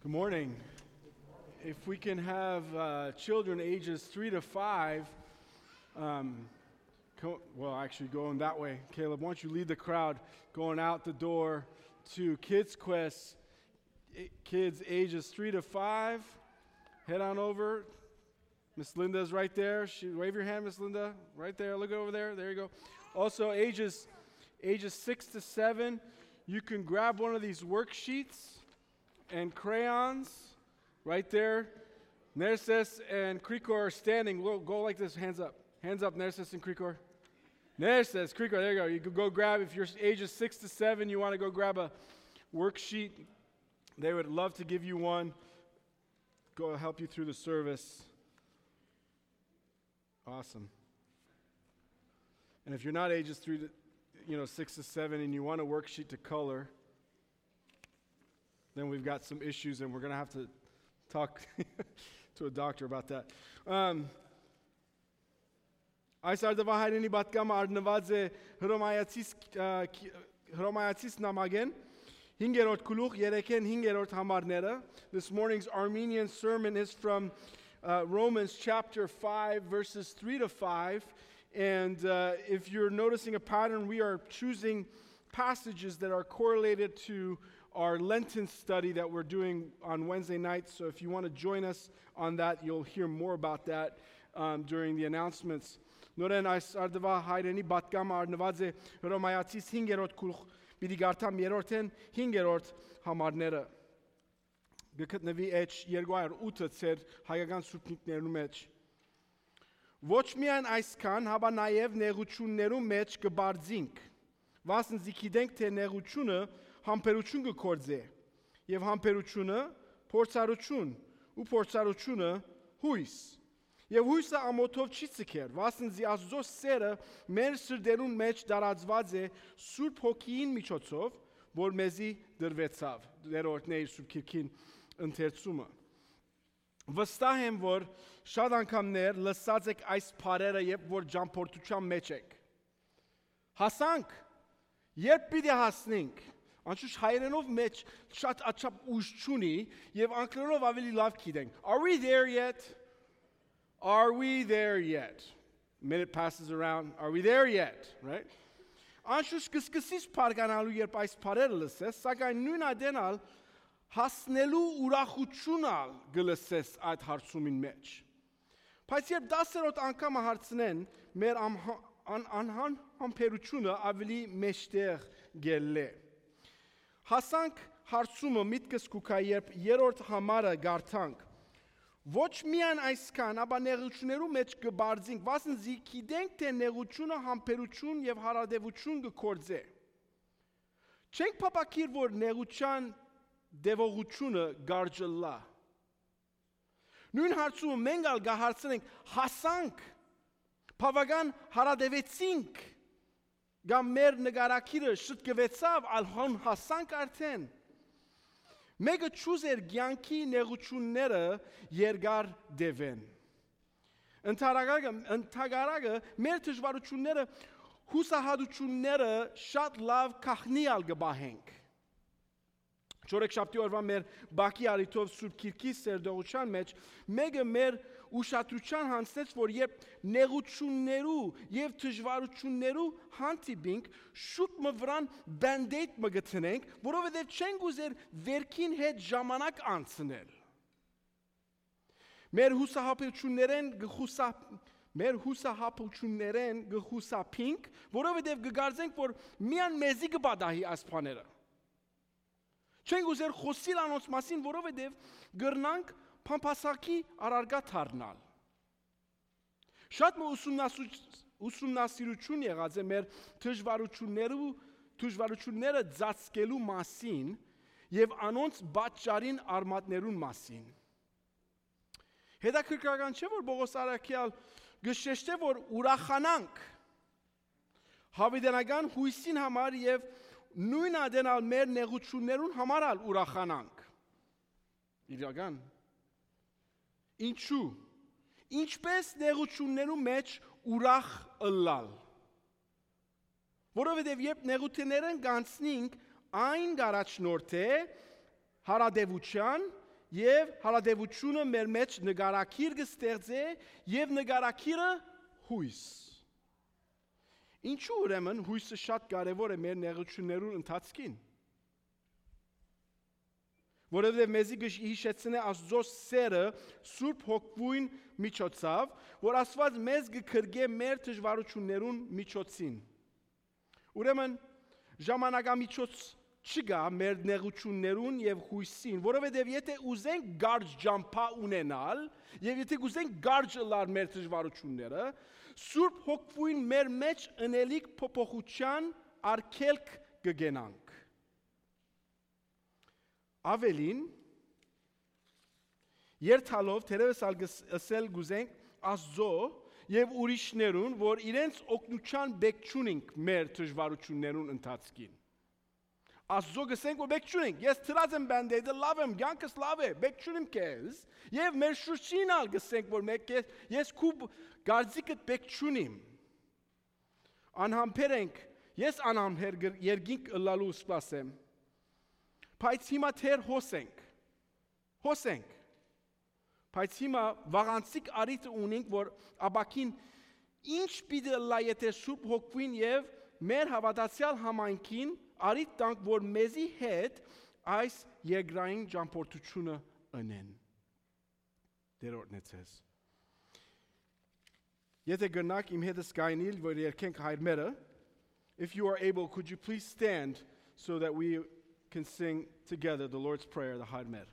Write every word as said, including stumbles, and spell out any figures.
Good morning. If we can have uh, children ages three to five, um, co- well, actually going that way. Caleb, why don't you lead the crowd going out the door to Kids Quest, I- kids ages three to five. Head on over. Miss Linda's right there. She, wave your hand, Miss Linda. Right there. Look over there. There you go. Also, ages ages six to seven. You can grab one of these worksheets and crayons right there. Nerses and Krikor are standing. Go, go like this, hands up. Hands up, Nerses and Krikor. Nerses, Krikor, there you go. You can go grab, if you're ages six to seven, you want to go grab a worksheet. They would love to give you one. Go help you through the service. Awesome. And if you're not ages three to, you know, six to seven and you want a worksheet to color, then we've got some issues, and we're going to have to talk to a doctor about that. Um, Այս արդվա հայրենի բատկամը արնված է հրոմայացիս նամագեն, հինգերորդ գլուխ, երեքեն հինգերորդ համարները. This morning's Armenian sermon is from uh, Romans chapter five, verses three to five. And uh, if you're noticing a pattern, we are choosing passages that are correlated to our Lenten study that we're doing on Wednesday nights. So if you want to join us on that, you'll hear more about that um, during the announcements. Նորեն այս արդվա հայրենի բատկամը արնված է հրոմայացիս հինգերորդ գլուխ, պիտի գարտամ երրորդեն հինգերորդ համարները. Գտնվի էջ երկու հարյուր ութ ծեր հայկական սուրբնիկներու մեջ. Ոչ միայն այսքան, հաբա նաև նեղություններու մեջ կբարձինք. Վասն զիքիդենք թե նեղությունը համբերություն կգործե, եւ համբերությունը փորձառություն, ու փորձառությունը հույս. Եվ հույսը ամոթով չի ցկեր, վասն զի Աստծո սերը մեր սրտերուն մեջ դարածված է Սուրբ Հոգին միջոցով, որ մեզի դրվեցավ. Դերորդների Սուրբ Քիրքին ընթերցումը. Վստահ եմ, որ շատ անգամներ լսած եք այս բառերը, երբ որ ճամփորդության մեջ եք. Հասանք, երբ պիտի հասնենք. Անշուշտ հայերենով մեջ շատ աչափ ուժ չունի եւ անգլերենով ավելի լավ գիտենք. Are we there yet? Are we there yet? Minute passes around. Are we there yet? Right? Անշուշտ կսկսես բարգանալու երբ այս բառերը լսես, սակայն նույն ադենալ հասնելու ուրախությունը գլսես այդ հարցումին մեջ. Բայց երբ դասերոտ անգամ հարցնեն, մեր անհան համբերությունը ավելի մեջտեղ գելլե. Հասանք հարցումը միտքս կուքա, երբ երրորդ համարը գարտանք. Ոչ միայն այսքան, ապա նեղություններու մեջ կբարձինք, վասն զի գիտենք, թե նեղությունը համբերություն եւ հարադեվություն կգործե. Չենք փապակիր, որ նեղության դևողությունը գարջլա. Նույն հարցումը մենք ալ գահարցնենք, հասանք, բավական հարադևեցինք, գամ մեր նգարակիրը շտկվեցավ, ալհոն հասանք արդեն. Մեկը ճուզեր գյանքի նեղությունները երգար դևեն. Ընթագարագը մեր դժվարությունները, հուսահատությունները շատ լավ կախնիալ գբահենք. Չորեքշաբթի օրվա մեր բակի արիթով Սուրբ Քիրքի սերդողության մեջ մեկը մեր ուշադրության հանձնեց, որ երբ նեղություններու եւ դժվարություններու հանդիպինք, շուտ մը վրան բանդեյդ մը գտնենք, որովհետեւ չենք ուզեր վերքին հետ ժամանակ անցնել. Մեր հուսահատություններեն գխուսա մեր հուսահատություններեն գխուսափինք, որովհետեւ կգարձենք, որ միան մեզի կբադահի այս բաները. Չենք ուզեր խոսիլ անոնց մասին, որովհետև գրնանք փամփասակի առարգա դառնալ. Շատ մը ուսումնասիրություն եղած է մեր դժվարություններու դժվարությունները ծածկելու մասին եւ անոնց պատճառին արմատներուն մասին. Հետաքրքրական չէ, որ Պողոս Արաքյալ գշեշտե, որ ուրախանանք հավիտենական հույսին համար եւ նույն ադենալ մեր նեղություններուն համարալ ուրախանանք. Իրական. Ինչու? Ինչպես նեղություններու մեջ ուրախ ըլլալ. Որովհետև երբ նեղություններն գանցնենք, այն գարաչնորդ է հարադևության եւ հարադեվությունը մեր մեջ նկարակիր կստեղծե եւ նկարակիրը հույս։ Ինչու ուրեմն հույսը շատ կարևոր է մեր նեղություններուն ընթացքին։ Որովհետև մեզի հիշեցնե Աստծո սերը Սուրբ Հոգվույն միջոցով, որ Աստված մեզ կքրգե մեր դժվարություններուն միջոցին։ Ուրեմն ժամանակամիջոց չկա մեր նեղություններուն եւ հույսին, որովհետև եթե ուզենք գարջ ջամփա ունենալ եւ եթե ուզենք գարջ լար մեր դժվարությունները, Սուրբ Հոգվույն մեր մեջ ընելիք փոփոխության արգելք կգենանք։ Ավելին, երթալով թերևս ալգսել գուզենք Աստծո եւ ուրիշներուն, որ իրենց օգնության բեք չունենք մեր դժվարություններուն ընթացքին։ Աստծո գսենք որ բեք չունենք, ես թրած եմ բանդեդը լավ եմ, ցանկս լավ է, բեք չունեմ քեզ, եւ մեր շուրջին ալ գսենք որ մեկ ես քուբ գարձիկդ բեք չունիմ։ Անհամբեր ենք, ես անհամբեր երգինք ըլլալու սպասեմ։ Բայց հիմա թեր հոսենք, հոսենք, բայց հիմա վաղանցիկ արիթ ունենք, որ աբակին ինչ պիտի լա եթե Սուրբ Հոգվին եւ մեր հավատացյալ համայնքին արիթ տանք, որ մեզի հետ այս երկրային ճամփորդությունը ընեն։ Դերորդն է ցես։ Եթե գնաք իմ հետս գայնիլ, որ երկենք հայրմերը, if you are able, could you please stand so that we can sing together the Lord's Prayer, the Hadmer.